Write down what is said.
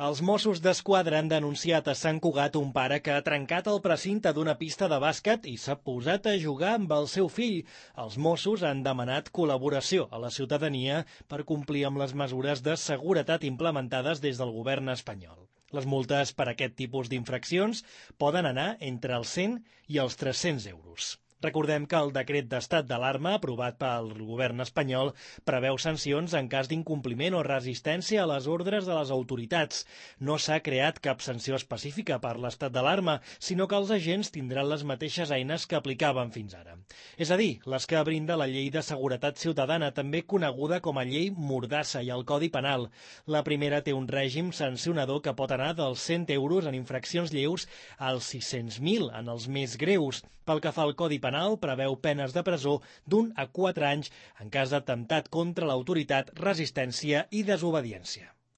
Els Mossos d'Esquadra han denunciat a Sant Cugat un pare que ha trencat el precinte d'una pista de bàsquet i s'ha posat a jugar amb el seu fill. Els Mossos han demanat col·laboració a la ciutadania per complir amb les mesures de seguretat implementades des del govern espanyol. Les multes per aquest tipus d'infraccions poden anar entre els 100 i els 300 euros. Recordem que el decret d'estat d'alarma aprovat pel govern espanyol preveu sancions en cas d'incompliment o resistència a les ordres de les autoritats. No s'ha creat cap sanció específica per l'estat d'alarma, sinó que els agents tindran les mateixes eines que aplicaven fins ara. És a dir, les que brinda la Llei de Seguretat Ciutadana, també coneguda com a Llei Mordassa, i el Codi Penal. La primera té un règim sancionador que pot anar dels 100 euros en infraccions lleus als 600.000 en els més greus. Pel que fa al Codi Penal, preveu penes de presó d'1 a 4 anys en cas d'atemptat contra l'autoritat, resistència i desobediència.